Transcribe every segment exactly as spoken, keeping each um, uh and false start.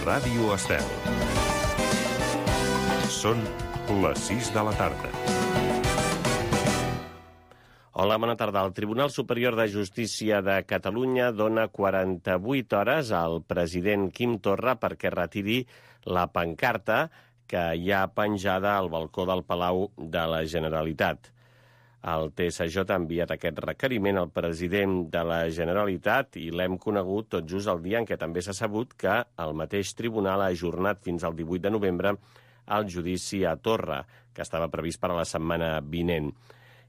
Ràdio Estel. Són les sis de la tarda. Hola, bona tarda. El Tribunal Superior de Justícia de Catalunya dona quaranta-vuit hores al president Quim Torra perquè retiri la pancarta que hi ha penjada al balcó del Palau de la Generalitat. El T S J ha enviat aquest requeriment al president de la Generalitat i l'hem conegut tot just el dia en què també s'ha sabut que el mateix tribunal ha ajornat fins al divuit de novembre el judici a Torra, que estava previst per a la setmana vinent.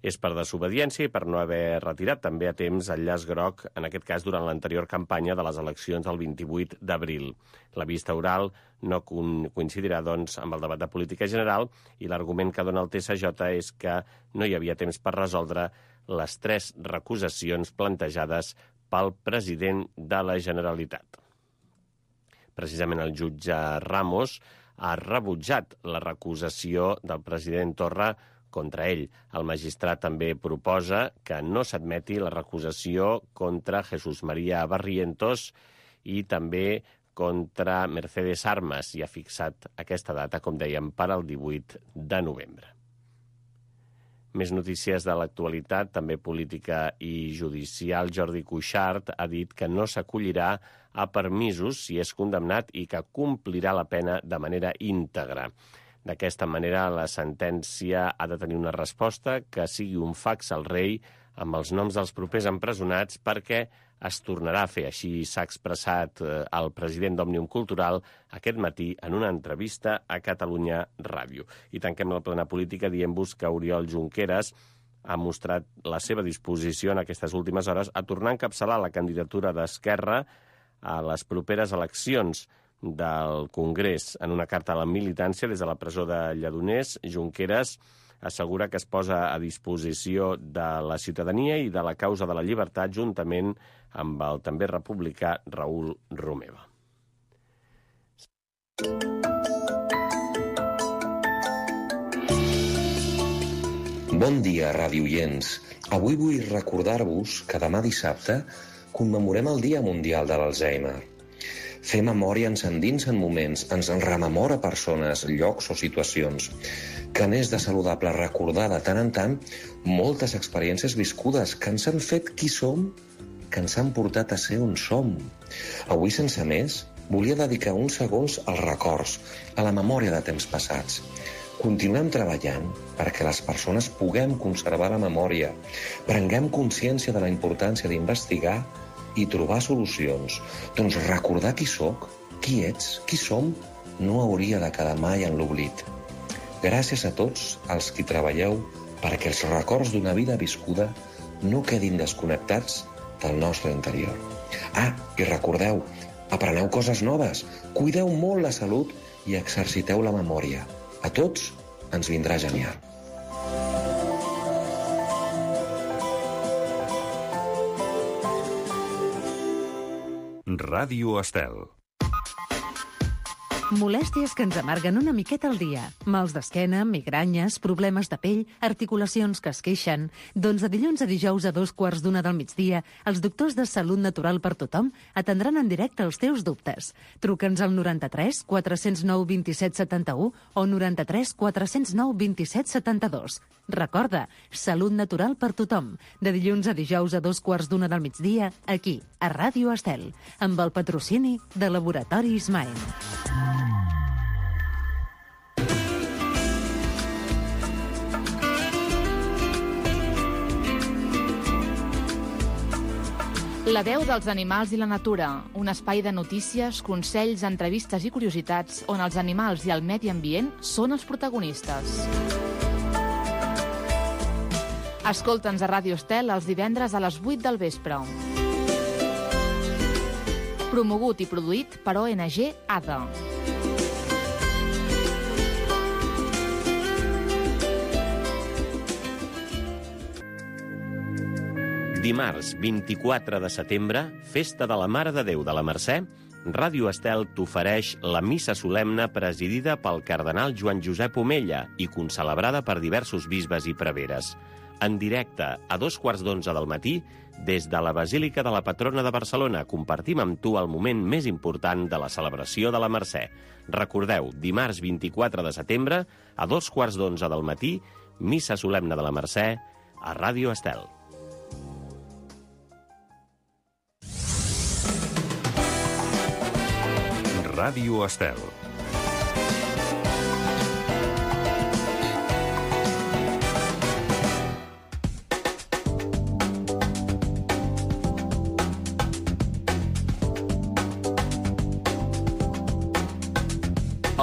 És per desobediència i per no haver retirat també a temps el llaç groc, en aquest cas durant l'anterior campanya de les eleccions del vint-i-vuit d'abril. La vista oral no coincidirà, doncs, amb el debat de política general i l'argument que dona el T S J és que no hi havia temps per resoldre les tres recusacions plantejades pel president de la Generalitat. Precisament el jutge Ramos ha rebutjat la recusació del president Torra contra ell. El magistrat també proposa que no s'admeti la recusació contra Jesús María Barrientos i també contra Mercedes Armas i ha fixat aquesta data, com dèiem, per al divuit de novembre. Més notícies de l'actualitat, també política i judicial. Jordi Cuixart ha dit que no s'acollirà a permisos si és condemnat i que complirà la pena de manera íntegra. D'aquesta manera, la sentència ha de tenir una resposta que sigui un fax al rei amb els noms dels propers empresonats perquè es tornarà a fer. Així s'ha expressat el president d'Òmnium Cultural aquest matí en una entrevista a Catalunya Ràdio. I tanquem la plana política dient-vos que Oriol Junqueras ha mostrat la seva disposició en aquestes últimes hores a tornar a encapçalar la candidatura d'Esquerra a les properes eleccions del Congrés. En una carta a la militància des de la presó de Lledoners, Junqueras assegura que es posa a disposició de la ciutadania i de la causa de la llibertat juntament amb el també republicà Raül Romeva. Bon dia, radioients. Avui vull recordar-vos que demà dissabte commemorem el Dia Mundial de l'Alzheimer. Fer memòria ens endinsa en moments, ens en rememora persones, llocs o situacions, que n'és de saludable recordar de tant en tant moltes experiències viscudes que ens han fet qui som, que ens han portat a ser on som. Avui, sense més, volia dedicar uns segons als records, a la memòria de temps passats. Continuem treballant perquè les persones puguem conservar la memòria, prenguem consciència de la importància d'investigar i trobar solucions. Doncs recordar qui sóc, qui ets, qui som, no hauria de quedar mai en l'oblit. Gràcies a tots els qui treballeu perquè els records d'una vida viscuda no quedin desconnectats del nostre interior. Ah, i recordeu, apreneu coses noves, cuideu molt la salut i exerciteu la memòria. A tots ens vindrà genial. Ràdio Estel. Molèsties que ens amarguen una miqueta al dia. Mals d'esquena, migranyes, problemes de pell, articulacions que es queixen. Doncs de dilluns a dijous a dos quarts d'una del migdia, els doctors de Salut Natural per Tothom atendran en directe els teus dubtes. Truca'ns al noranta-tres quatre zero nou vint-i-set setanta-u o noranta-tres quatre zero nou vint-i-set setanta-dos. Recorda, Salut Natural per Tothom. De dilluns a dijous a dos quarts d'una del migdia, aquí, a Ràdio Estel, amb el patrocini de Laboratori Ismael. La veu dels animals i la natura, un espai de notícies, consells, entrevistes i curiositats on els animals i el medi ambient són els protagonistes. Escolta'ns a Ràdio Estel els divendres a les vuit del vespre. Promogut i produït per O N G A D A. Dimarts, vint-i-quatre de setembre, festa de la Mare de Déu de la Mercè, Ràdio Estel t'ofereix la missa solemne presidida pel cardenal Joan Josep Omella i concelebrada per diversos bisbes i preveres. en directe a dos quarts d'onze del matí des de la Basílica de la Patrona de Barcelona. Compartim amb tu el moment més important de la celebració de la Mercè. Recordeu, dimarts vint-i-quatre de setembre, a dos quarts d'onze del matí, missa solemne de la Mercè a Ràdio Estel. Ràdio Estel.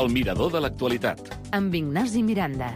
El mirador de l'actualitat. Amb Ignasi Miranda.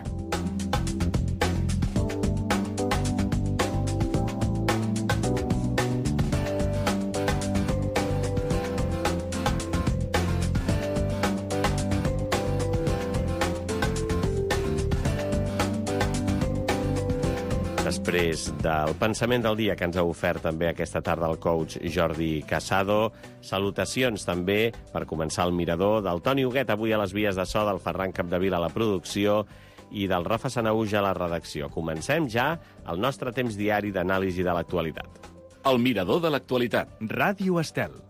Després del pensament del dia que ens ha ofert també aquesta tarda el coach Jordi Casado, salutacions també per començar el mirador del Toni Huguet avui a les vies de so, del Ferran Capdevila a la producció i del Rafa Sanahuja a la redacció. Comencem ja el nostre temps diari d'anàlisi de l'actualitat. El mirador de l'actualitat. Ràdio Estel.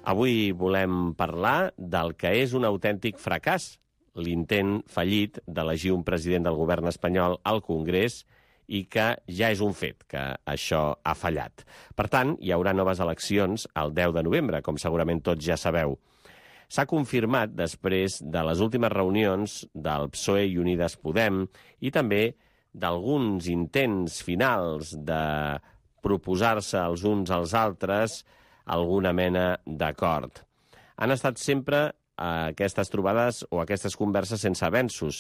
Avui volem parlar del que és un autèntic fracàs, l'intent fallit d'elegir un president del govern espanyol al Congrés i que ja és un fet, que això ha fallat. Per tant, hi haurà noves eleccions el deu de novembre, com segurament tots ja sabeu. S'ha confirmat després de les últimes reunions del P S O E i Unides Podem i també d'alguns intents finals de proposar-se els uns als altres alguna mena d'acord. Han estat sempre aquestes trobades o aquestes converses sense avenços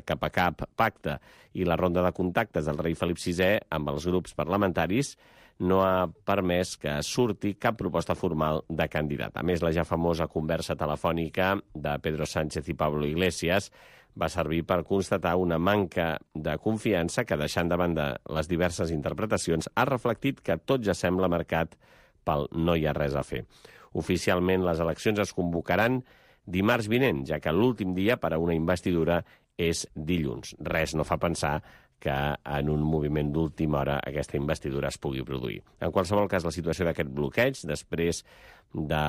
cap a cap pacte i la ronda de contactes del rei Felip sisè amb els grups parlamentaris no ha permès que surti cap proposta formal de candidat. A més, la ja famosa conversa telefònica de Pedro Sánchez i Pablo Iglesias va servir per constatar una manca de confiança que, deixant de banda les diverses interpretacions, ha reflectit que tot ja sembla marcat pel no hi ha res a fer. Oficialment, les eleccions es convocaran dimarts vinent, ja que l'últim dia per a una investidura és dilluns. Res no fa pensar que en un moviment d'última hora aquesta investidura es pugui produir. En qualsevol cas, la situació d'aquest bloqueig, després de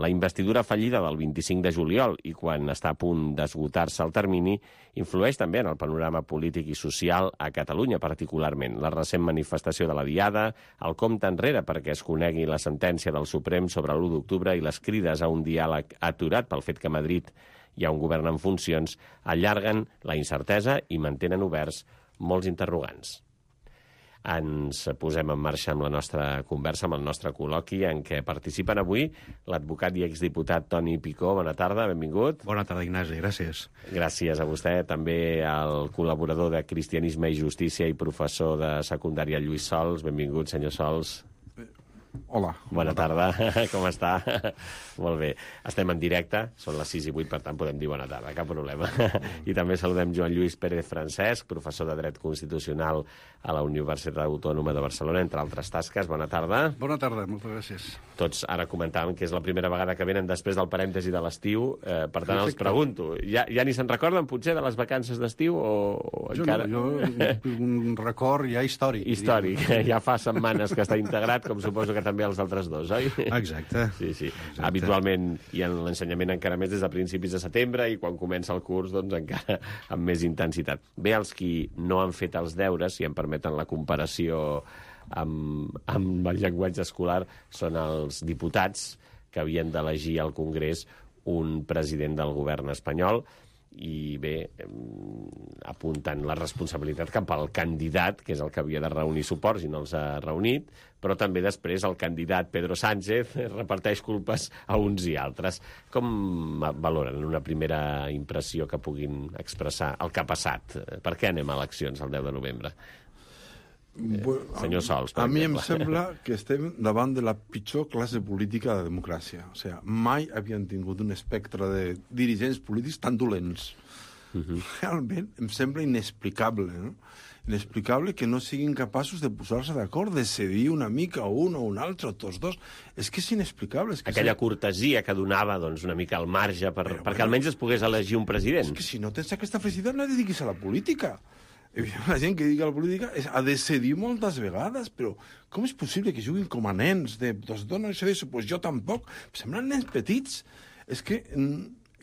la investidura fallida del vint-i-cinc de juliol i quan està a punt d'esgotar-se el termini, influeix també en el panorama polític i social a Catalunya particularment. La recent manifestació de la Diada, el compte enrere perquè es conegui la sentència del Suprem sobre l'u d'octubre i les crides a un diàleg aturat pel fet que a Madrid hi ha un govern en funcions, allarguen la incertesa i mantenen oberts molts interrogants. Ens posem en marxa amb la nostra conversa, amb el nostre col·loqui, en què participen avui l'advocat i exdiputat Toni Picó. Bona tarda, benvingut. Bona tarda, Ignasi, gràcies. Gràcies a vostè. També al col·laborador de Cristianisme i Justícia i professor de secundària, Lluís Sols. Benvingut, senyor Sols. Hola. Bona tarda, com està? Molt bé. Estem en directe, són les sis i vuit, per tant podem dir bona tarda, cap problema. I també saludem Joan Lluís Pérez Francesc, professor de Dret Constitucional a la Universitat Autònoma de Barcelona, entre altres tasques. Bona tarda. Bona tarda, moltes gràcies. Tots ara comentàvem que és la primera vegada que venen després del parèntesi de l'estiu, eh, per tant els pregunto, ja, ja ni se'n recorden potser de les vacances d'estiu o, o jo encara... No, jo un record ja històric. Històric, ja fa setmanes que està integrat, com suposo que també els altres dos, oi? Exacte. Sí, sí. Exacte. Habitualment hi ha l'ensenyament encara més des de principis de setembre i quan comença el curs, doncs encara amb més intensitat. Bé, els qui no han fet els deures, si em permeten la comparació amb, amb el llenguatge escolar, són els diputats que havien d'elegir al Congrés un president del govern espanyol i bé, apunten la responsabilitat cap al candidat, que és el que havia de reunir suports i no els ha reunit, però també després el candidat Pedro Sánchez reparteix culpes a uns i altres. Com valoren una primera impressió que puguin expressar el que ha passat? Per què anem a eleccions el deu de novembre? Bueno, senyor Sols, per a mi em exemple. sembla que estem davant de la pitjor classe política de democràcia. O sigui, mai havien tingut un espectre de dirigents polítics tan dolents. Uh-huh. Realment em sembla inexplicable, no? Inexplicable que no siguin capaços de posar-se d'acord, de cedir una mica o un o un altre, o tots dos. És que és inexplicable. És que Aquella se... cortesia que donava doncs, una mica al marge per, Però, perquè bueno, almenys es pogués elegir un president. És que si no tens aquesta felicitat no et dediquis a la política. La gent que dedica a la política és, ha de cedir moltes vegades, però com és possible que juguin com a nens? De, doncs dona això d'això, doncs jo tampoc. Semblen nens petits. És que...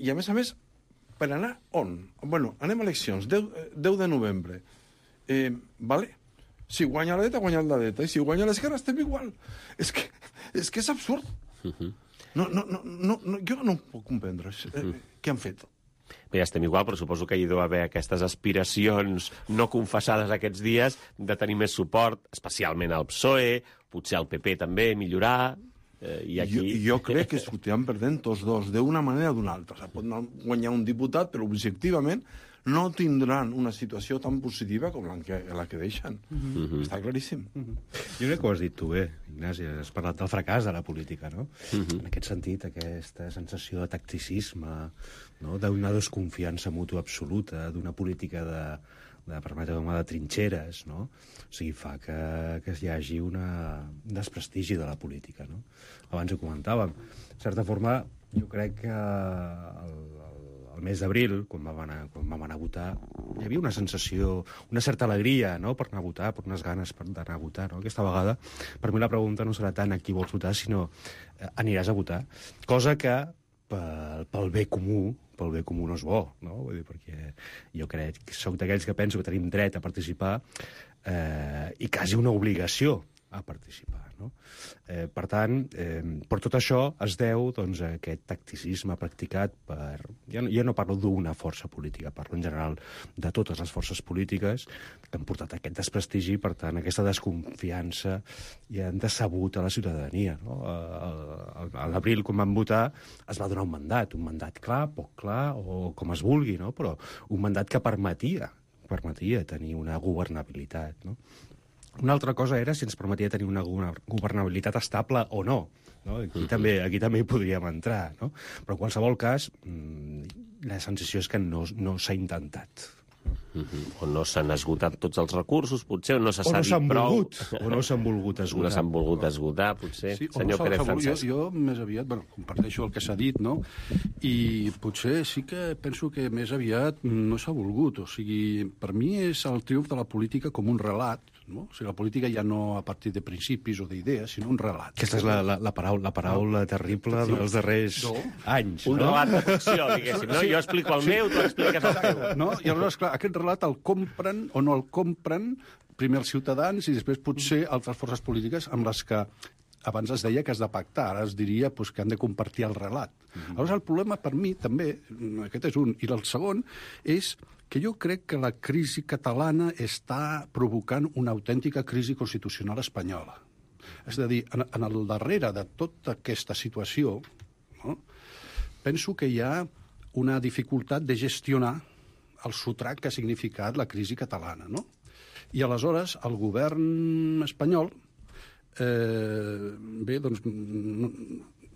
I a més a més, per anar on? Bueno, anem a eleccions, deu de novembre. Eh, vale? Si guanya la dreta, guanya la dreta. I si guanya l'esquerra, estem igual. És que és, que és absurd. Uh-huh. No, no, no, no, no, jo no ho puc comprendre. Uh-huh. Eh, què han fet? Bé, ja estem igual, però suposo que hi deu haver aquestes aspiracions no confessades aquests dies de tenir més suport, especialment al P S O E, potser al P P també, millorar... Eh, i aquí... jo, jo crec que sortiran perdent tots dos, d'una manera o d'una altra. O sigui, pot guanyar un diputat, però objectivament no tindran una situació tan positiva com la que, la que deixen. Mm-hmm. Està claríssim. Mm-hmm. Jo crec que ho has dit tu bé, Ignasi. Has parlat del fracàs de la política, no? Mm-hmm. En aquest sentit, aquesta sensació de tacticisme, no? D'una desconfiança mútua absoluta, d'una política de, de permetre-me, de trinxeres, no? O sigui, fa que, que hi hagi una, un desprestigi de la política, no? Abans ho comentàvem. De certa forma, jo crec que el, el el mes d'abril, quan vam anar, quan vam anar a votar, hi havia una sensació, una certa alegria, no?, per anar a votar, per unes ganes per anar a votar, no? Aquesta vegada, per mi la pregunta no serà tant a qui vols votar, sinó eh, aniràs a votar. Cosa que, pel, pel bé comú, pel bé comú no és bo, no? Vull dir, perquè jo crec que soc d'aquells que penso que tenim dret a participar eh, i quasi una obligació a participar, no? Eh, per tant, eh, per tot això es deu, doncs, a aquest tacticisme practicat per... Jo no, jo no parlo d'una força política, parlo en general de totes les forces polítiques que han portat aquest desprestigi, per tant, aquesta desconfiança i han decebut a la ciutadania, no? A, a l'abril, quan van votar, es va donar un mandat, un mandat clar, poc clar, o com es vulgui, no? Però un mandat que permetia, permetia tenir una governabilitat, no? Una altra cosa era si ens permetia tenir una governabilitat estable o no. No? Aquí, uh-huh. també, aquí també hi podríem entrar, no? Però en qualsevol cas, la sensació és que no, no s'ha intentat. Uh-huh. O no s'han esgotat tots els recursos, potser, o no s'ha no dit prou. Volgut, o no s'han volgut esgotar. No s'han volgut esgotar, potser. Sí, senyor Pérez Francesc. Jo, jo més aviat, bueno, comparteixo el que s'ha dit, no? I potser sí que penso que més aviat no s'ha volgut. O sigui, per mi és el triomf de la política com un relat, no? O sigui, la política ja no a partir de principis o d'idees, sinó un relat. Aquesta és la, la, la paraula, la paraula no. terrible sí. dels darrers no. anys. Un no? relat de ficció, diguéssim. No? Sí. Jo explico el sí. meu, tu expliques el teu. No? I aleshores, clar, aquest relat el compren o no el compren primer els ciutadans i després potser altres forces polítiques amb les que abans es deia que has de pactar, ara es diria pues, que han de compartir el relat. Mm-hmm. Aleshores, el problema per mi també, aquest és un, i el segon, és que jo crec que la crisi catalana està provocant una autèntica crisi constitucional espanyola. És a dir, en, en el darrere de tota aquesta situació, no, penso que hi ha una dificultat de gestionar el sotrac que ha significat la crisi catalana, no? I aleshores el govern espanyol eh, bé, doncs no,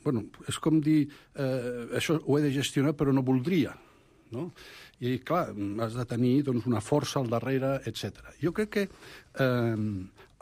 bueno, és com dir eh, això ho he de gestionar però no voldria, no? I clar, has de tenir doncs, una força al darrere, etcètera. Jo crec que eh,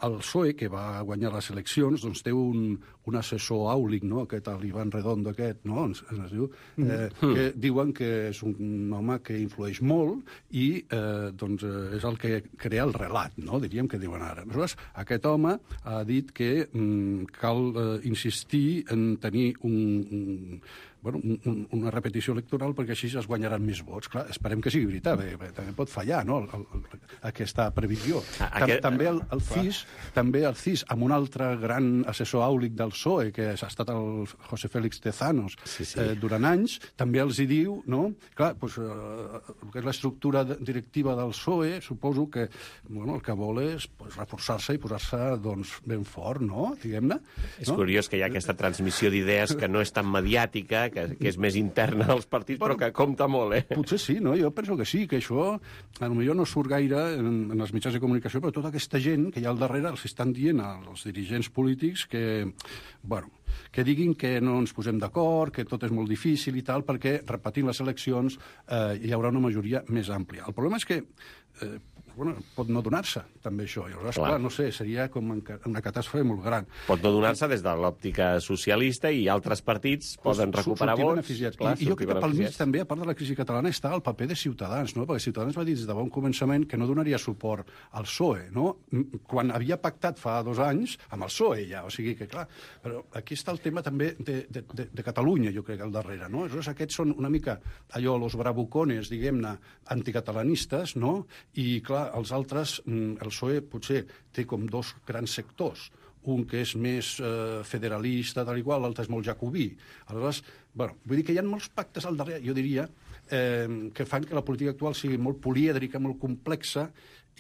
el P S O E, que va guanyar les eleccions, doncs té un, un assessor àulic, no? Aquest, l'Ivan Redondo aquest, no? Es, es diu, eh, mm. que diuen que és un home que influeix molt i eh, doncs, és el que crea el relat, no? Diríem que diuen ara. Aleshores, aquest home ha dit que mm, cal eh, insistir en tenir un... un bueno, un, una repetició electoral perquè així es guanyaran més vots. Clar, esperem que sigui veritat, perquè, perquè també pot fallar, no?, el, el, aquesta previsió. Ah, aquest... També el, el C I S, també el C I S, amb un altre gran assessor àulic del P S O E, que ha estat el José Félix Tezanos, sí, sí. Eh, durant anys, també els hi diu, no?, clar, doncs, eh, el que és l'estructura directiva del P S O E, suposo que, bueno, el que vol és pues, reforçar-se i posar-se, doncs, ben fort, no?, diguem-ne. És no? curiós que hi ha aquesta transmissió d'idees que no és tan mediàtica, que, que és més interna dels partits, però que compta molt, eh? Potser sí, no? Jo penso que sí, que això potser no surt gaire en, en els mitjans de comunicació, però tota aquesta gent que hi ha al darrere els estan dient als dirigents polítics que, bueno, que diguin que no ens posem d'acord, que tot és molt difícil i tal, perquè repetint les eleccions eh, hi haurà una majoria més àmplia. El problema és que eh, bueno, pot no donar-se, també, això. I aleshores, clar. clar, no sé, seria com una catàstrofe molt gran. Pot no donar-se des de l'òptica socialista i altres partits pues, poden recuperar vots. Clar, I, I jo crec que pel mig també, a part de la crisi catalana, està el paper de Ciutadans, no? Perquè Ciutadans va dir des de bon començament que no donaria suport al P S O E, no? Quan havia pactat fa dos anys amb el P S O E, ja. O sigui que, clar, però aquí està el tema també de, de, de, de Catalunya, jo crec, al darrere, no? Aleshores, aquests són una mica allò, los bravucones, diguem-ne, anticatalanistes, no? I, clar, els altres, el P S O E potser té com dos grans sectors, un que és més eh, federalista, tal i qual, l'altre és molt jacobí. Aleshores, bueno, vull dir que hi ha molts pactes al darrere, jo diria, eh, que fan que la política actual sigui molt polièdrica, molt complexa,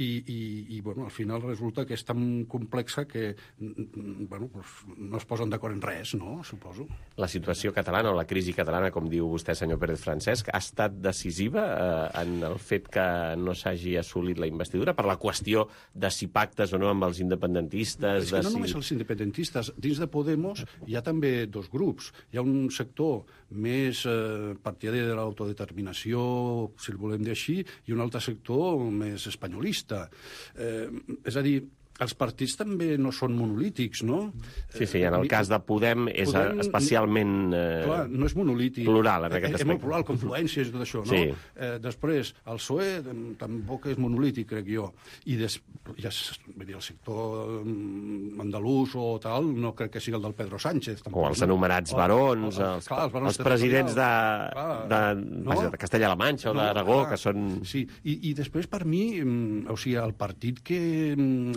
i, i, i bueno, al final resulta que és tan complexa que bueno, pues, no es posen d'acord en res, no? Suposo. La situació catalana o la crisi catalana, com diu vostè, senyor Pérez Francesc, ha estat decisiva eh, en el fet que no s'hagi assolit la investidura per la qüestió de si pactes o no amb els independentistes? És que de no si... només els independentistes. Dins de Podemos hi ha també dos grups. Hi ha un sector més eh, partidari de l'autodeterminació, si el volem dir així, i un altre sector més espanyolista. Eh, és a dir, els partits també no són monolítics, no? Sí, sí, en el cas de Podem és Podem, especialment eh, clar, no és monolític. Plural, en aquest aspecte. És molt plural, confluències i tot això, no? Sí. Eh, després, el P S O E tampoc és monolític, crec jo. I des, ja, vull dir, el sector andalús o tal, no crec que sigui el del Pedro Sánchez. Tampoc, o els anomenats no? barons, o, els, clar, els, barons els presidents de, clar, de, no? de Castella-La Manxa o no, d'Aragó, que són... Sí, I, i després, per mi, o sigui, el partit que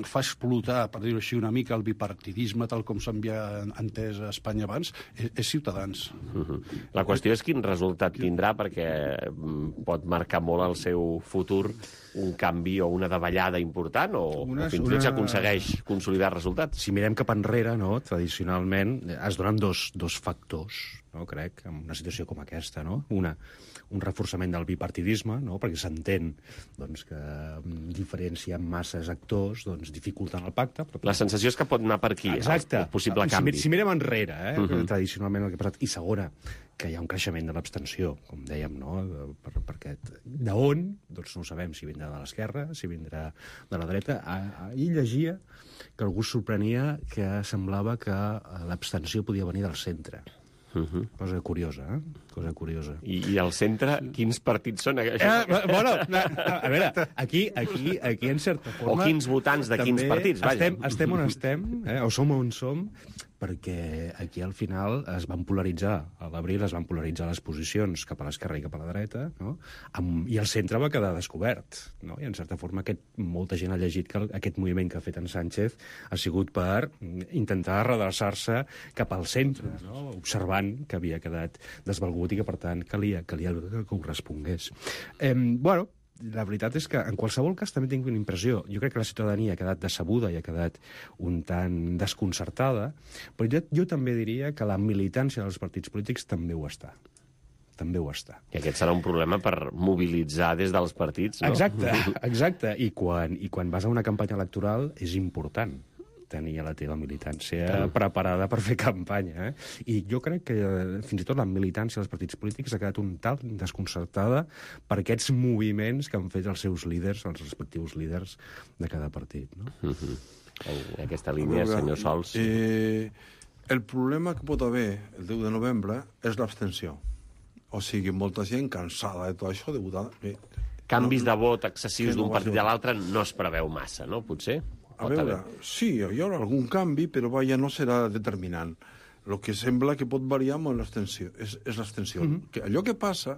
fa explotar, per dir-ho així, una mica el bipartidisme tal com s'havia entès a Espanya abans, és, és Ciutadans. Uh-huh. La qüestió és quin resultat tindrà, perquè pot marcar molt el seu futur un canvi o una davallada important, o, una, o fins i tot s'aconsegueix una... consolidar resultats. Si mirem cap enrere, no, tradicionalment, es donen dos, dos factors, no, crec, en una situació com aquesta, no? Una, un reforçament del bipartidisme, no? Perquè s'entén doncs, que diferència masses actors doncs, dificulten el pacte. Però... La sensació és que pot anar per aquí, exacte, el possible canvi. Si, si mirem enrere, eh, uh-huh. tradicionalment el que ha passat. I segona, que hi ha un creixement de l'abstenció, com dèiem, no? Per, per aquest... D'on? Doncs no ho sabem, si vindrà de l'esquerra, si vindrà de la dreta. Ahir llegia que algú sorprenia que semblava que l'abstenció podia venir del centre. Uh-huh. Cosa curiosa, eh? Cosa curiosa. I, i al centre, quins partits són? Eh, bueno, a, a veure, aquí, aquí, aquí en certa forma... O quins votants de quins partits, vaja. Estem, estem on estem, eh? O som on som, perquè aquí al final es van polaritzar, a l'abril es van polaritzar les posicions cap a l'esquerra i cap a la dreta, no? Amb, i el centre va quedar descobert, no? I en certa forma aquest, molta gent ha llegit que aquest moviment que ha fet en Sánchez ha sigut per intentar redreçar-se cap al centre, no? Observant que havia quedat desvalgut i que, per tant, calia, calia que correspongués. Eh, bueno, la veritat és que, en qualsevol cas, també tinc una impressió. Jo crec que la ciutadania ha quedat decebuda i ha quedat un tant desconcertada, però jo, jo també diria que la militància dels partits polítics també ho està. També ho està. I aquest serà un problema per mobilitzar des dels partits, no? Exacte, exacte. I quan, i quan vas a una campanya electoral és important tenir a la teva militància mm. preparada per fer campanya. Eh? I jo crec que fins i tot la militància dels partits polítics ha quedat un tal desconcertada per aquests moviments que han fet els seus líders, els respectius líders de cada partit. No? Mm-hmm. En aquesta línia, veure, senyor Sols. Eh, el problema que pot haver el deu de novembre és l'abstenció. O sigui, molta gent cansada de tot això, de votar... Eh, Canvis no, de vot excessius d'un no partit a l'altre no es preveu massa, no? Potser? A veure, sí, hi haurà algun canvi, però vaja, no serà determinant. El que sembla que pot variar molt l'abstenció, és, és l'abstenció. Mm-hmm. Que allò que passa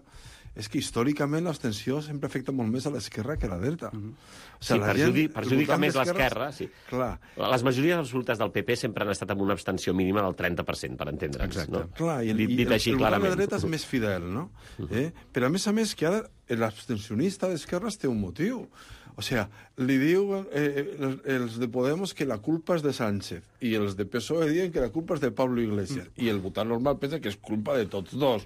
és que històricament l'abstenció sempre afecta molt més a l'esquerra que a la dreta. Mm-hmm. O sigui, sí, perjudi perjudica més l'esquerra. Sí. Clar. Les majories absolutes del P P sempre han estat amb una abstenció mínima del trenta per cent, per entendre'ns. Exacte. No? Clar, i el, dit, dit així, el, el govern de dreta és més fidel, no? Mm-hmm. eh? Però a més a més que ara l'abstencionista d'esquerres té un motiu. O sea, li diu eh, els, els de Podemos que la culpa és de Sánchez i els de P S O E diuen que la culpa és de Pablo Iglesias i el votant normal pensa que és culpa de tots dos.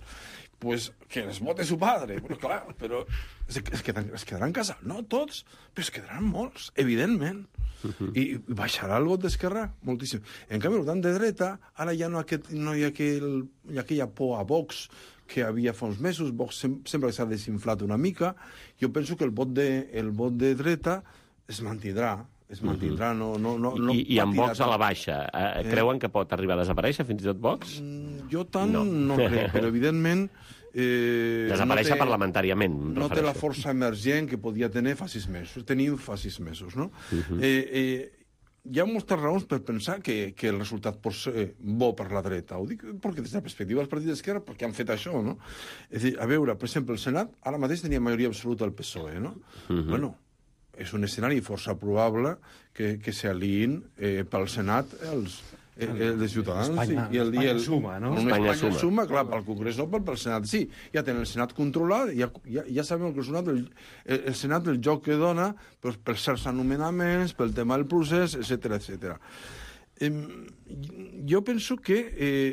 Pues que les vote su padre. Però clar, però es, es, quedaran, es quedaran casats, no tots, però es quedaran molts, evidentment. Uh-huh. I baixarà el vot d'Esquerra moltíssim. En canvi, el votant de dreta, ara ja no, aquest, no hi, ha aquell, hi ha aquella por a Vox que havia fa uns mesos. Vox sem sempre s'ha desinflat una mica. Jo penso que el vot de, el vot de dreta es mantindrà. Es mantindrà, no, no, no, no I, i amb Vox a la baixa, eh, creuen que pot arribar a desaparèixer fins i tot Vox? Mm, jo tant no, no crec, però evidentment... Eh, desaparèixer no té, parlamentàriament, no té la força emergent que podia tenir fa sis mesos. Tenim fa sis mesos, no? Uh-huh. eh, eh, hi ha moltes raons per pensar que, que el resultat pot ser bo per la dreta. Ho dic perquè des de la perspectiva dels partits d'esquerra, perquè han fet això, no? És dir, a veure, per exemple, el Senat ara mateix tenia majoria absoluta al P S O E, no? Uh-huh. Bueno, és un escenari força probable que, que s'aliïn eh, pel Senat els, eh, el de Ciutadans. Espanya, sí, i el, Espanya i el, suma, no? Espanya, Espanya suma. suma, clar, pel Congrés no, però pel Senat sí. Ja tenen el Senat controlat, ja, ja, ja sabem que el Senat, el, el Senat el joc que dona doncs, per certs anomenaments, pel tema del procés, etcètera, etcètera. Eh, jo penso que eh,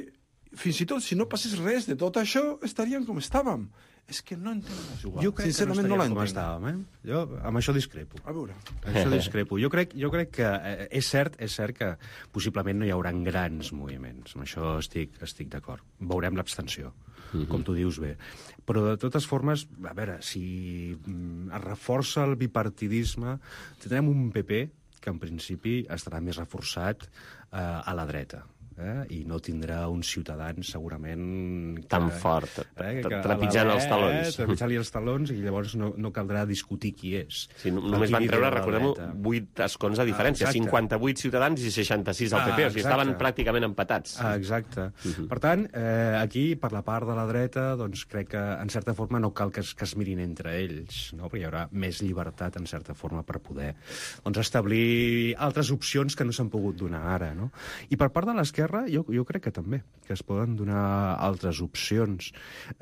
fins i tot si no passés res de tot això, estaríem com estàvem. És que no entenc a jugar. Jo crec Sincerament que no, no estaríem com l'entenc. estàvem, eh? Jo amb això discrepo. A veure. Amb això discrepo. Jo crec, jo crec que eh, és cert és cert que possiblement no hi haurà grans moviments. Amb això estic, estic d'acord. Veurem l'abstenció, uh-huh. com tu dius bé. Però de totes formes, a veure, si mm, es reforça el bipartidisme, tindrem un P P que en principi estarà més reforçat eh, a la dreta. Eh? I no tindrà un Ciutadans segurament que, tan fort, eh, que trepitjant els talons. Eh, trepitjant-li els talons, i llavors no, no caldrà discutir qui és. Sí, no, només van treure, recordem-ho, vuit escons de diferència, ah, cinquanta-vuit Ciutadans i seixanta-sis al P P, ah, o sigui, estaven pràcticament empatats. Ah, exacte. Uh-huh. Per tant, eh, aquí, per la part de la dreta, doncs crec que, en certa forma, no cal que es, que es mirin entre ells, no? Perquè hi haurà més llibertat, en certa forma, per poder doncs, establir altres opcions que no s'han pogut donar ara, no? I per part de l'esquerra, Jo, jo crec que també, que es poden donar altres opcions.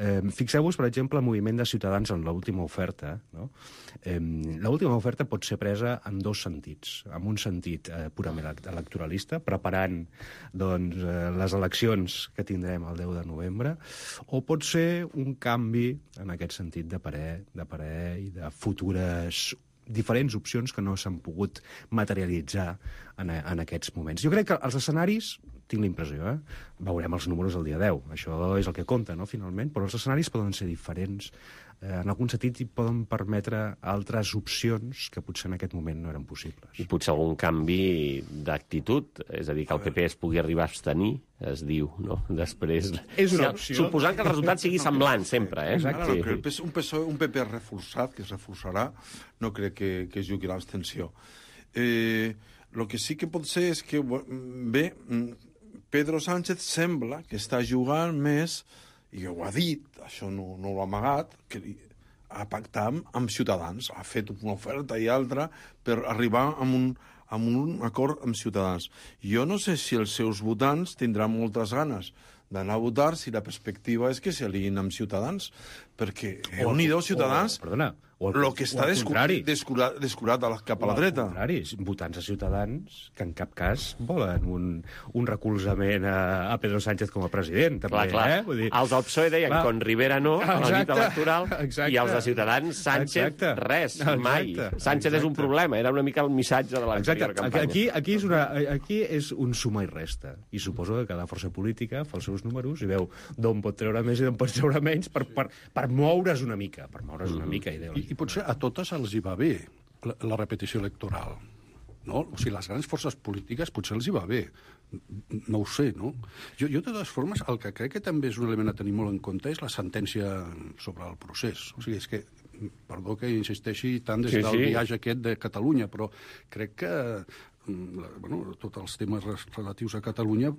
Eh, Fixeu-vos, per exemple, el moviment de Ciutadans en l'última oferta. No? Eh, l'última oferta pot ser presa en dos sentits. En un sentit eh, purament electoralista, preparant doncs, eh, les eleccions que tindrem el deu de novembre, o pot ser un canvi en aquest sentit de parer, de parer i de futures diferents opcions que no s'han pogut materialitzar en, en aquests moments. Jo crec que els escenaris, tinc la impressió, eh? veurem els números el dia deu, això és el que compta, no?, finalment, però els escenaris poden ser diferents, eh, en algun sentit hi poden permetre altres opcions que potser en aquest moment no eren possibles. I potser algun canvi d'actitud, és a dir, que el P P es pugui arribar a abstenir, es diu, no?, després. És una opció. Suposant que el resultat sigui semblant sempre, eh? Exacte. Sí. Un, P S O E, un P P reforçat, que es reforçarà, no crec que, que es jugui l'abstenció. Eh, el que sí que pot ser és que, bé, Pedro Sánchez sembla que està jugant més, i ho ha dit, això no, no l'ha amagat, que ha pactat amb, amb Ciutadans, ha fet una oferta i altra per arribar a un, a un acord amb Ciutadans. Jo no sé si els seus votants tindran moltes ganes d'anar a votar si la perspectiva és que s'aliïn amb Ciutadans, perquè Unidos Ciutadans... O, perdona, o el que està descurat, descurat, descurat a la, cap a la dreta. Al contrari, votants a Ciutadans que en cap cas volen un, un recolzament a, a Pedro Sánchez com a president. També, clar, clar. Eh? Vull dir, els del P S O E deien clar. Con Rivera no, a la nit electoral, exacte. I els de Ciutadans, Sánchez, exacte. Res, exacte. Mai. Sánchez exacte. És un problema, era una mica el missatge de l'anterior campanya. Aquí, aquí, és una, aquí és un suma i resta, i suposo que cada força política fa els seus números i veu d'on pot treure més i d'on pot treure menys per, per, per moure's una mica, per moure's una mica. I, I potser a totes els hi va bé la, la repetició electoral. No? O sigui, les grans forces polítiques potser els hi va bé. No ho sé, no? Jo, jo de totes formes, el que crec que també és un element a tenir molt en compte és la sentència sobre el procés. O sigui, és que, perdó que insisteixi tant des sí, del sí. viatge aquest de Catalunya, però crec que bueno, tots els temes relatius a Catalunya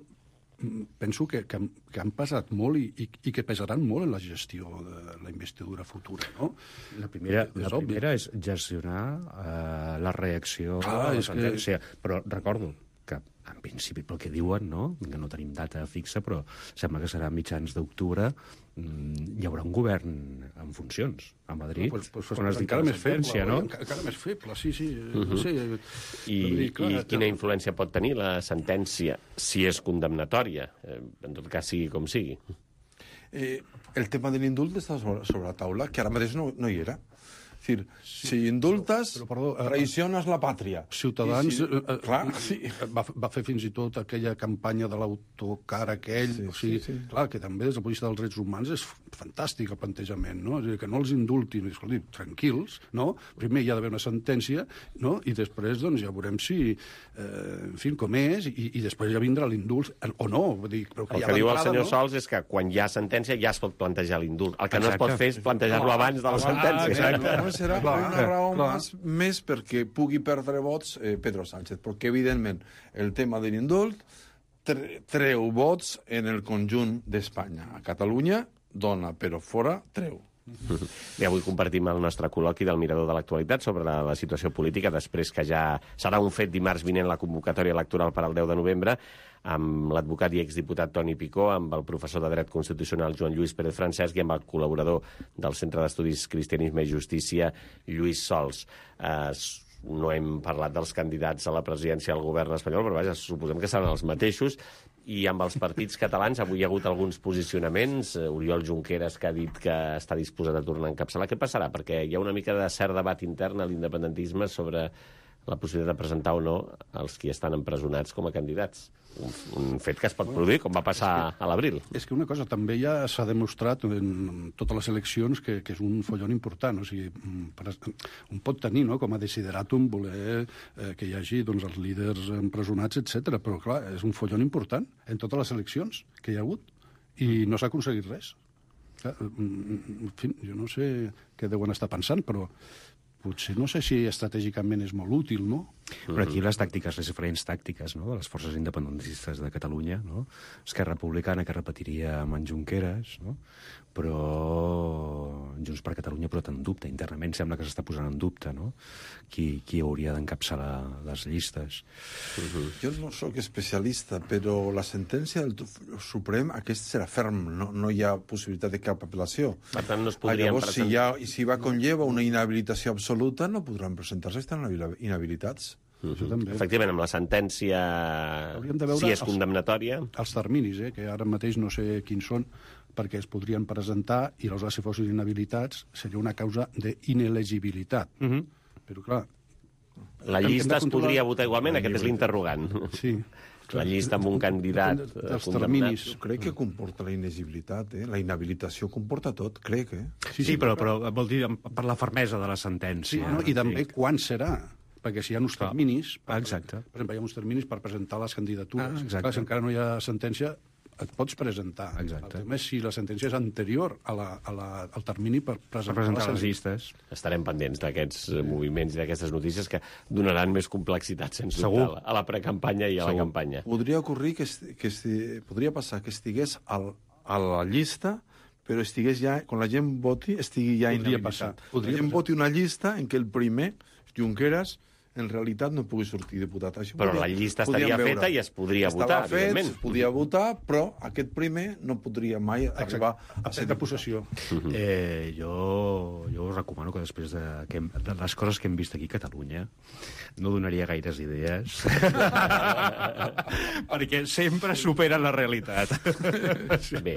penso que, que, que han pesat molt i, i, i que pesaran molt en la gestió de la investidura futura, no? La primera, la primera és gestionar uh, la reacció ah, a la és sentència. que... Però recordo, que en principi pel que diuen, no? Que no tenim data fixa, però sembla que serà a mitjans d'octubre, hi haurà un govern en funcions a Madrid, no, pues, pues, on es encara dicta la més feble, sentència, no? Encara, encara més feble, sí, sí. Uh-huh. No sé, I, dir, clar, I quina influència pot tenir la sentència, si és condemnatòria, eh, en tot cas sigui com sigui? Eh, el tema de l'indult està sobre, sobre la taula, que ara mateix no, no hi era. És dir, sí, si indultes, però, però, perdó, traiciones la pàtria. Ciutadans si, eh, clar, sí. va, va fer fins i tot aquella campanya de l'autocar aquell, sí, o sigui, sí, sí. Clar, que també des del punt de vista dels drets humans és fantàstic el plantejament, no? És a dir, que no els indultin, escolti, tranquils, no? Primer hi ha d'haver una sentència, no? I després, doncs, ja veurem si, eh, en fi, com és, i, i després ja vindrà l'indult, o no. Vull dir, però que el ja que diu el senyor no? Sols és que quan hi ha sentència ja es pot plantejar l'indult. El que Exacte. no es pot fer és plantejar-lo abans de la sentència. Ah, no, no serà Clar, una raó clar. més, més perquè pugui perdre vots eh, Pedro Sánchez, perquè evidentment el tema de l'indult tre treu vots en el conjunt d'Espanya. A Catalunya dona, però fora treu. I avui compartim el nostre col·loqui del Mirador de l'Actualitat sobre la, la situació política, després que ja serà un fet dimarts vinent la convocatòria electoral per al deu de novembre, amb l'advocat i exdiputat Toni Picó, amb el professor de Dret Constitucional Joan Lluís Pérez Francesc i amb el col·laborador del Centre d'Estudis Cristianisme i Justícia, Lluís Sols. Eh, no hem parlat dels candidats a la presidència del govern espanyol, però vaja, suposem que seran els mateixos, i amb els partits catalans avui hi ha hagut alguns posicionaments. Oriol Junqueras, que ha dit que està disposat a tornar a encapçalar. Què passarà? Perquè hi ha una mica de cert debat intern a l'independentisme sobre la possibilitat de presentar o no els qui estan empresonats com a candidats. Un, un fet que es pot produir, com va passar a l'abril. És que una cosa, també ja s'ha demostrat en totes les eleccions que, que és un follon important. O sigui, un pot tenir, no?, com a desideratum voler eh, que hi hagi, doncs, els líders empresonats, etcètera. Però, clar, és un follon important en totes les eleccions que hi ha hagut i no s'ha aconseguit res. Clar, en fi, jo no sé què deuen estar pensant, però potser no sé si estratègicament és molt útil, no? Però aquí les tàctiques, les diferents tàctiques, no?, de les forces independentistes de Catalunya, no? Esquerra Republicana, que repetiria amb en Junqueras, no?, però Junts per Catalunya però en dubte, internament sembla que s'està posant en dubte, no?, qui, qui hauria d'encapçalar les llistes. Uh-huh. Jo no sóc especialista, però la sentència del Suprem, aquest serà ferm, no, no hi ha possibilitat de cap apel·lació. Per tant, no es podrien Llavors, presentar... si, ha, si va conlleva una inhabilitació absoluta, no podran presentar-se, estan inhabilitats. Uh-huh. Efectivament, amb la sentència, si és condemnatòria... Els terminis, eh, que ara mateix no sé quins són, perquè es podrien presentar i aleshores, si fossin inhabilitats, seria una causa d'inelegibilitat. Uh-huh. Però, clar... La llista es podria votar igualment, aquest és l'interrogant. Sí. La llista amb un candidat condemnat. Jo crec que comporta la inelegibilitat, eh? La inhabilitació comporta tot, crec, eh? Sí, sí, però, però vol dir per la fermesa de la sentència. Sí, no? I també quan serà, perquè si hi ha uns terminis... Ah, exacte. Per exemple, hi ha uns terminis per presentar les candidatures. Ah, exacte. Clar, si encara no hi ha sentència, et pots presentar. Exacte. El tema és si la sentència és anterior a la, a la, al termini per presentar, per presentar les les llistes. Estarem pendents d'aquests moviments i d'aquestes notícies que donaran més complexitat, sense Segur. dubte, a la precampanya i a Segur. la campanya. Podria ocorrir que, esti, que esti, podria passar que estigués al, a la llista, però estigués ja, quan la gent voti, estigui ja Podria inhabilitat. passar. Podria la gent passar. voti una llista en què el primer, Junqueras, en realitat no pugui sortir diputat. Això Però podria, la llista estaria feta i es podria Estava votar, fet, evidentment. es podia votar, però aquest primer no podria mai Exacte. arribar a ser de possessió. Eh, jo, jo us recomano que després de, que hem, de les coses que hem vist aquí a Catalunya no donaria gaires idees perquè sempre superen la realitat. Bé,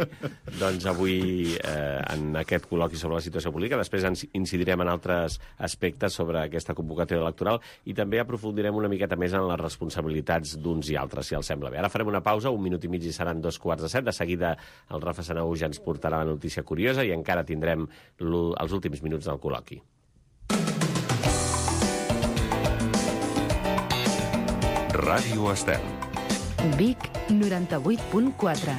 doncs avui eh, en aquest col·loqui sobre la situació política, després ens incidirem en altres aspectes sobre aquesta convocatòria electoral i també aprofundirem una miqueta més en les responsabilitats d'uns i altres, si els sembla bé. Ara farem una pausa, un minut i mig i seran dos quarts de set. De seguida el Rafa Sanau ja ens portarà la notícia curiosa i encara tindrem els últims minuts del col·loqui. Ràdio Estel. Vic noranta-vuit punt quatre.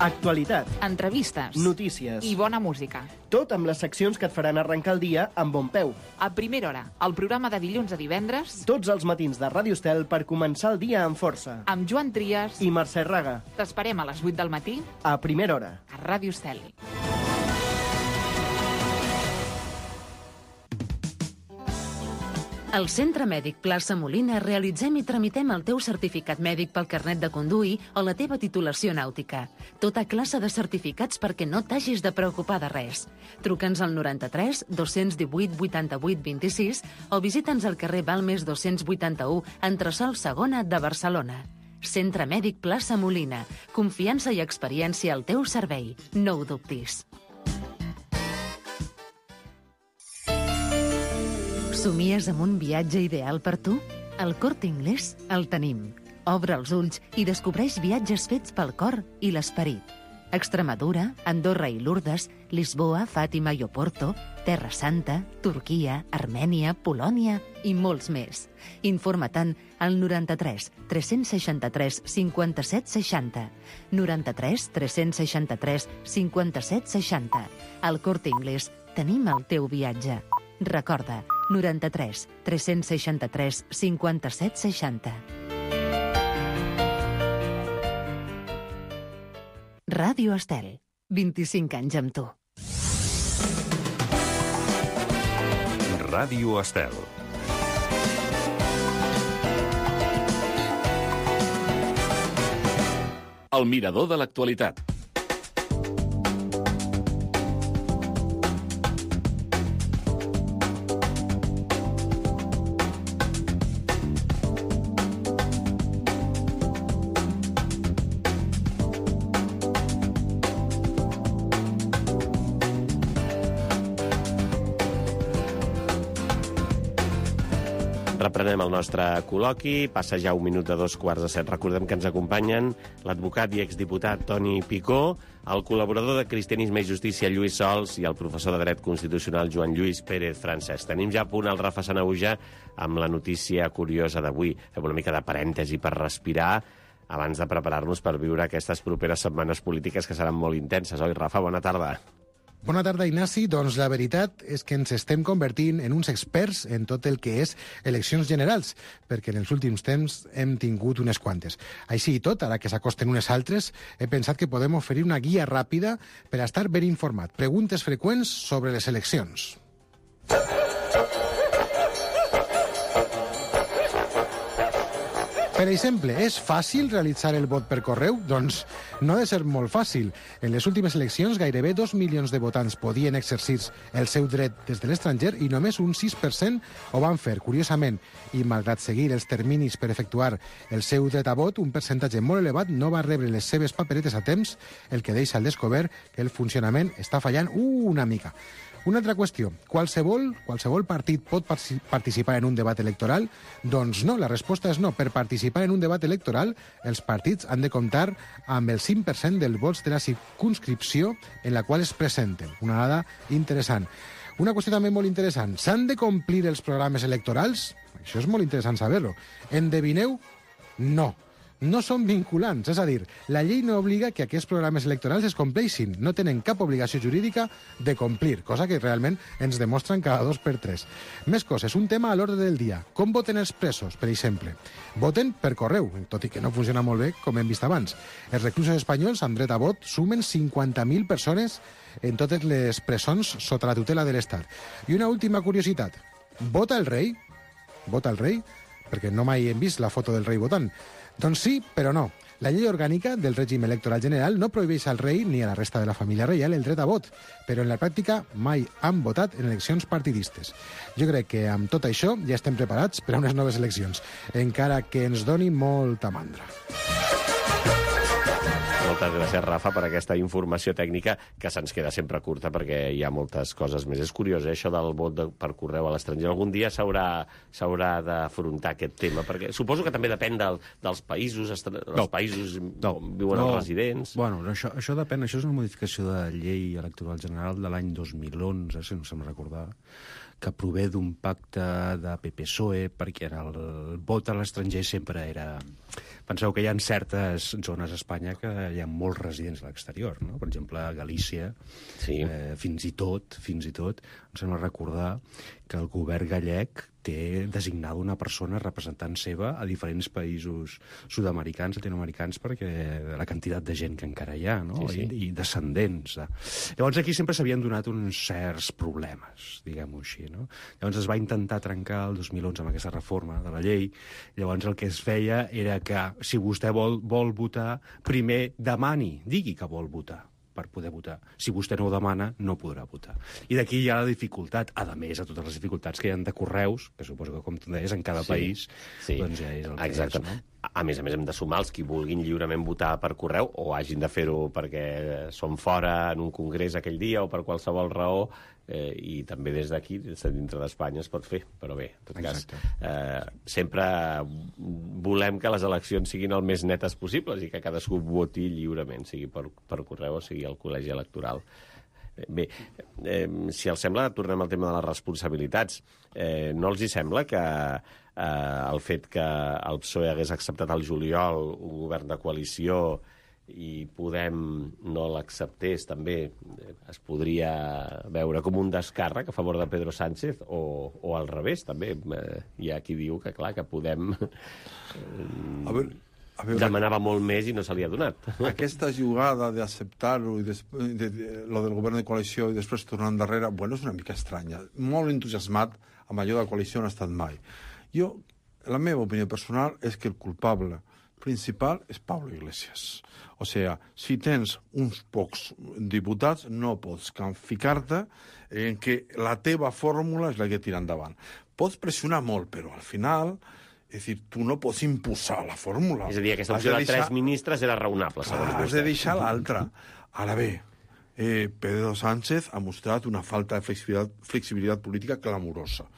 Actualitat, Entrevistes. notícies I bona música. tot amb les seccions que et faran arrencar el dia amb bon peu. A primera hora, el programa de dilluns a divendres, Tots els matins de Ràdio Estel per començar el dia amb força. amb Joan Trias. I Mercè Raga, T'esperem a les vuit del matí a primera hora. a Ràdio Estel. Al Centre Mèdic Plaça Molina realitzem i tramitem el teu certificat mèdic pel carnet de conduir o la teva titulació nàutica. Tota classe de certificats perquè no t'hagis de preocupar de res. Truca'ns al noranta-tres dos-cents divuit vuitanta-vuit vint-i-sis o visita'ns al carrer Balmes dos-cents vuitanta-u, entresòl segona de Barcelona. Centre Mèdic Plaça Molina. Confiança i experiència al teu servei. No ho dubtis. Somies amb un viatge ideal per tu? Al Corte Inglés el tenim. Obre els ulls i descobreix viatges fets pel cor i l'esperit. Extremadura, Andorra i Lourdes, Lisboa, Fàtima i Oporto, Terra Santa, Turquia, Armènia, Polònia i molts més. Informa-te'n al noranta-tres tres-cents seixanta-tres cinquanta-set seixanta. noranta-tres tres-cents seixanta-tres cinquanta-set seixanta. Al Corte Inglés tenim el teu viatge. Recorda, noranta-tres tres-cents seixanta-tres cinquanta-set seixanta. Ràdio Estel, vint-i-cinc anys amb tu. Ràdio Estel. El mirador de l'actualitat. Reprenem el nostre col·loqui, passa ja un minut de dos quarts de set. Recordem que ens acompanyen l'advocat i exdiputat Toni Picó, el col·laborador de Cristianisme i Justícia Lluís Sols i el professor de Dret Constitucional Joan Lluís Pérez Francesc. Tenim ja a punt el Rafa Sanahuja amb la notícia curiosa d'avui. Fem una mica de parèntesi per respirar abans de preparar-nos per viure aquestes properes setmanes polítiques que seran molt intenses. Oi, Rafa? Bona tarda. Bona tarda, Ignasi. Doncs la veritat és que ens estem convertint en uns experts en tot el que és eleccions generals, perquè en els últims temps hem tingut unes quantes. Així i tot, ara que s'acosten unes altres, he pensat que podem oferir una guia ràpida per a estar ben informat. Preguntes freqüents sobre les eleccions. Per exemple, és fàcil realitzar el vot per correu? Doncs no ha de ser molt fàcil. En les últimes eleccions, gairebé dos milions de votants podien exercir el seu dret des de l'estranger i només un sis per cent ho van fer. Curiosament, i malgrat seguir els terminis per efectuar el seu dret a vot, un percentatge molt elevat no va rebre les seves paperetes a temps, el que deixa al descobert que el funcionament està fallant una mica. Una altra qüestió, qualsevol, qualsevol partit pot participar en un debat electoral? Doncs no, la resposta és no. Per participar en un debat electoral, els partits han de comptar amb el cinc per cent dels vots de la circunscripció en la qual es presenten. Una dada interessant. Una qüestió també molt interessant, s'han de complir els programes electorals? Això és molt interessant saber-ho. Endevineu? No. No són vinculants, és a dir, la llei no obliga que aquests programes electorals es compleixin, no tenen cap obligació jurídica de complir, cosa que realment ens demostren cada dos per tres. Més coses, un tema a l'ordre del dia. Com voten els presos, per exemple? Voten per correu, tot i que no funciona molt bé, com hem vist abans. Els reclusos espanyols amb dret a vot sumen cinquanta mil persones en totes les presons sota la tutela de l'Estat. I una última curiositat. Vota el rei? Vota el rei? Perquè no mai hem vist la foto del rei votant. Doncs sí, però no. La llei orgànica del règim electoral general no prohibeix al rei ni a la resta de la família reial el dret a vot, però en la pràctica mai han votat en eleccions partidistes. Jo crec que amb tot això ja estem preparats per a unes noves eleccions, encara que ens doni molta mandra. Moltes gràcies, Rafa, per aquesta informació tècnica que se'ns queda sempre curta perquè hi ha moltes coses més. És curiós, eh, això del vot de, per correu a l'estranger. Algun dia s'haurà s'haurà d'afrontar aquest tema, perquè suposo que també depèn del, dels països, els no. països no. on viuen no. els residents. Bueno, això, això depèn, això és una modificació de llei electoral general de l'any dos mil onze, si no se'm recordar, que prové d'un pacte de P P S O E, perquè el, el vot a l'estranger sempre era... Penseu que hi ha certes zones a Espanya que hi ha molts residents a l'exterior, no? Per exemple, a Galícia, sí. eh, fins i tot, fins i tot, em sembla recordar que el govern gallec té designada una persona representant seva a diferents països sud-americans, latinoamericans, perquè la quantitat de gent que encara hi ha, no? Sí, sí. I, i descendents. De... Llavors aquí sempre s'havien donat uns certs problemes, diguem-ho així, no? Llavors es va intentar trencar el dos mil onze amb aquesta reforma de la llei. Llavors el que es feia era que si vostè vol, vol votar, primer demani, digui que vol votar per poder votar. Si vostè no ho demana, no podrà votar. I d'aquí hi ha la dificultat, a més a totes les dificultats que hi ha de correus, que suposo que, com tu deies, en cada sí, país, sí. doncs ja és el que Exacte. és. No? A més a més, hem de sumar els qui vulguin lliurement votar per correu o hagin de fer-ho perquè són fora en un congrés aquell dia o per qualsevol raó, eh, i també des d'aquí, des de dintre d'Espanya, es pot fer. Però bé, en tot Exacte. cas, eh, sempre volem que les eleccions siguin el més netes possibles i que cadascú voti lliurement, sigui per, per correu o sigui al col·legi electoral. Bé, eh, si els sembla, tornem al tema de les responsabilitats. Eh, no els hi sembla que eh, el fet que el P S O E hagués acceptat al juliol un govern de coalició i Podem no l'acceptés, també es podria veure com un descàrrec a favor de Pedro Sánchez o, o al revés, també. Eh, hi ha qui diu que, clar, que Podem eh, a veure, a veure, demanava molt més i no se li ha donat. Aquesta jugada d'acceptar-ho i de, de, de, lo del govern de coalició i després tornar endarrere, bueno, és una mica estranya. Molt entusiasmat amb allò de la coalició no ha estat mai. Jo, la meva opinió personal és que el culpable principal és Pablo Iglesias. O sigui, si tens uns pocs diputats, no pots ficar-te en que la teva fórmula és la que tira endavant. Pots pressionar molt, però al final, és dir, tu no pots imposar la fórmula. És a dir, aquesta opció de, de tres ministres era raonable, segons vostè. Has de deixar l'altra. Ara bé, eh, Pedro Sánchez ha mostrat una falta de flexibilitat, flexibilitat política clamorosa.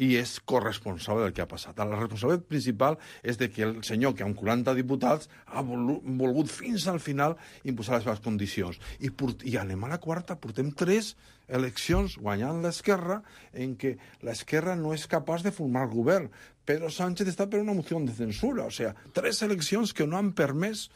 I és corresponsable del que ha passat. La responsabilitat principal és de que el senyor, que amb quaranta diputats, ha volgut fins al final imposar les seves condicions. I, port... I anem a la quarta, portem tres eleccions guanyant l'esquerra en què l'esquerra no és capaç de formar govern. Pedro Sánchez està per una moció de censura. O sigui, tres eleccions que no han permès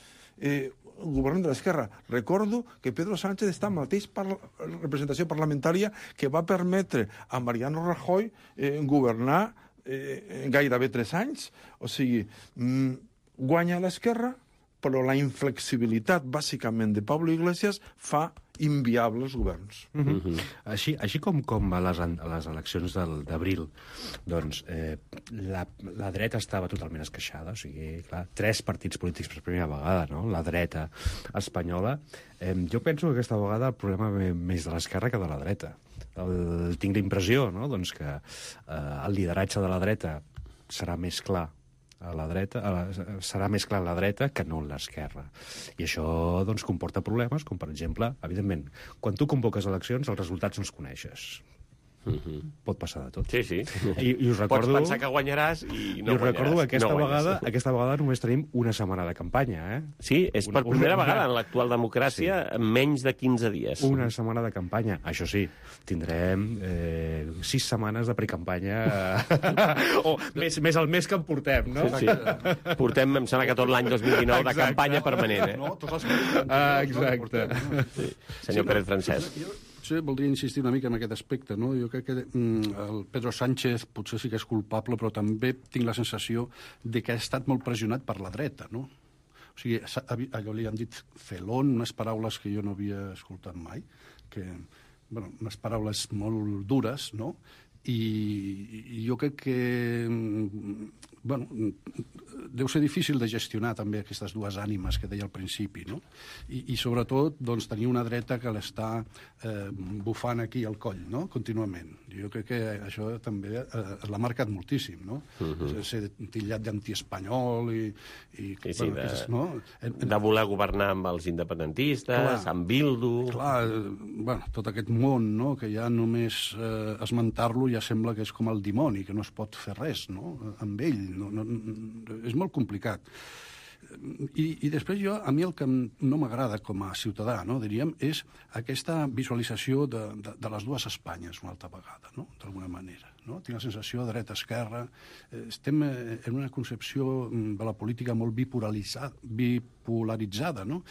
eh, el govern de l'esquerra. Recordo que Pedro Sánchez està en la mateixa parla representació parlamentària que va permetre a Mariano Rajoy eh, governar eh, gairebé tres anys. O sigui, mm, guanya l'esquerra, però la inflexibilitat, bàsicament, de Pablo Iglesias fa inviables governs. Uh -huh. Uh -huh. Així, així com, com a les, a les eleccions d'abril, doncs eh, la, la dreta estava totalment esqueixada, o sigui, clar, tres partits polítics per primera vegada, no? La dreta espanyola. Eh, jo penso que aquesta vegada el problema ve més de l'esquerra que de la dreta. El, tinc la impressió, no?, doncs que eh, el lideratge de la dreta serà més clar a la dreta, a la, serà més clar a la dreta que no a l'esquerra. I això doncs, comporta problemes, com per exemple, evidentment, quan tu convoques eleccions, els resultats no els coneixes. Uh-huh. Pot passar de tot. Sí, sí. I, i us recordo... Pots pensar que guanyaràs i no I us guanyaràs. recordo que aquesta, no vegada, aquesta vegada només tenim una setmana de campanya, eh? Sí, és per una, primera una, vegada en l'actual democràcia sí. en menys de quinze dies. Una setmana de campanya. Això sí, tindrem eh, sis setmanes de precampanya o més, més el mes que en portem, no? Sí, sí. Portem, em sembla que tot l'any dos mil dinou de campanya permanent, eh? No, tots els ah, exacte. Sí. Senyor Pérez Francesc. Sí, voldria insistir una mica en aquest aspecte, no? Jo crec que mm, el Pedro Sánchez potser sí que és culpable, però també tinc la sensació de que ha estat molt pressionat per la dreta, no? O sigui, allò li han dit felón, unes paraules que jo no havia escoltat mai, que, bueno, unes paraules molt dures, no? I, i jo crec que, bueno, deu ser difícil de gestionar també aquestes dues ànimes que deia al principi, no? I, i sobretot, doncs, tenir una dreta que l'està eh, bufant aquí al coll, no?, contínuament. Jo crec que això també eh, l'ha marcat moltíssim, no? Uh-huh. Ser tillat d'antiespanyol i... i sí, sí, bueno, de, aquestes, no? en, en... de voler governar amb els independentistes, clar, amb Bildu... Clar, bueno, tot aquest món, no?, que ja només eh, esmentar-lo ja sembla que és com el dimoni, que no es pot fer res, no?, amb ell. No, no, és molt complicat. I, i després jo, a mi el que no m'agrada com a ciutadà, no, diríem, és aquesta visualització de, de, de les dues Espanyes una altra vegada, no?, d'alguna manera. no? Tinc la sensació dreta-esquerra. Estem en una concepció de la política molt bipolaritzada, bipolaritzada, no?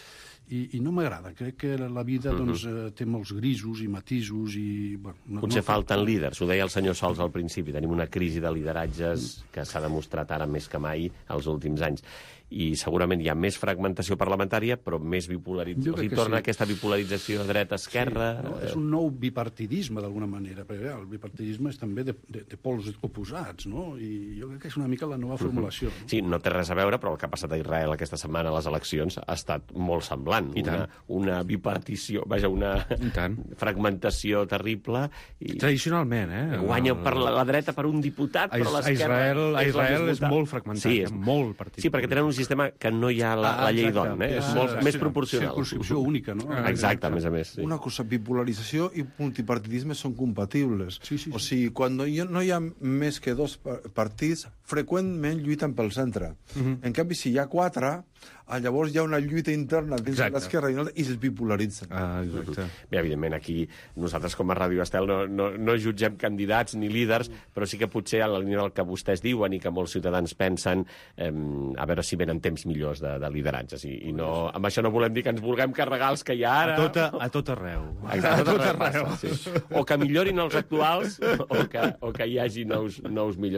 I, i no m'agrada. Crec que la vida uh-huh. doncs, té molts grisos i matisos i... Bueno, no, Potser no... falten líders, ho deia el senyor Sols al principi. Tenim una crisi de lideratges que s'ha demostrat ara més que mai els últims anys. I segurament hi ha més fragmentació parlamentària, però més bipolarització. O sigui, torna sí. aquesta bipolarització dreta-esquerra... Sí, no? És un nou bipartidisme, d'alguna manera, perquè el bipartidisme és també de, de, de pols oposats, no? I jo crec que és una mica la nova formulació. Uh-huh. No? Sí, no té res a veure, però el que ha passat a Israel aquesta setmana a les eleccions ha estat molt semblant. I una, una bipartició, vaja, una fragmentació terrible. I tradicionalment, eh? Guanya el... per la, la dreta per un diputat, a, però l'esquerra... A Israel, a Israel és molt fragmentat, sí, és molt partit. Sí, perquè tenen un sistema que no hi ha la, ah, la llei d'on, eh? És molt ah, més proporcional. Circunscripció única, no? Ah, exacte, a més a més. Sí. Una cosa, bipolarització i multipartidisme són compatibles. Sí, sí, sí. O sigui, quan no hi ha més que dos partits, freqüentment lluiten pel centre. Uh-huh. En canvi, si hi ha quatre, llavors hi ha una lluita interna dins de l'esquerra i, no, i es bipolaritzen. Ah, exacte. Bé, evidentment, aquí nosaltres com a Ràdio Estel no, no, no jutgem candidats ni líders, però sí que potser a la línia del que vostès diuen i que molts ciutadans pensen, eh, a veure si venen temps millors de, de lideratges. I, i no, amb això no volem dir que ens vulguem carregar els que hi ha ara. A tot, a, a tot arreu. Exacte, a tot arreu. Passa, sí. O que millorin els actuals o que, o que hi hagi nous, nous millors.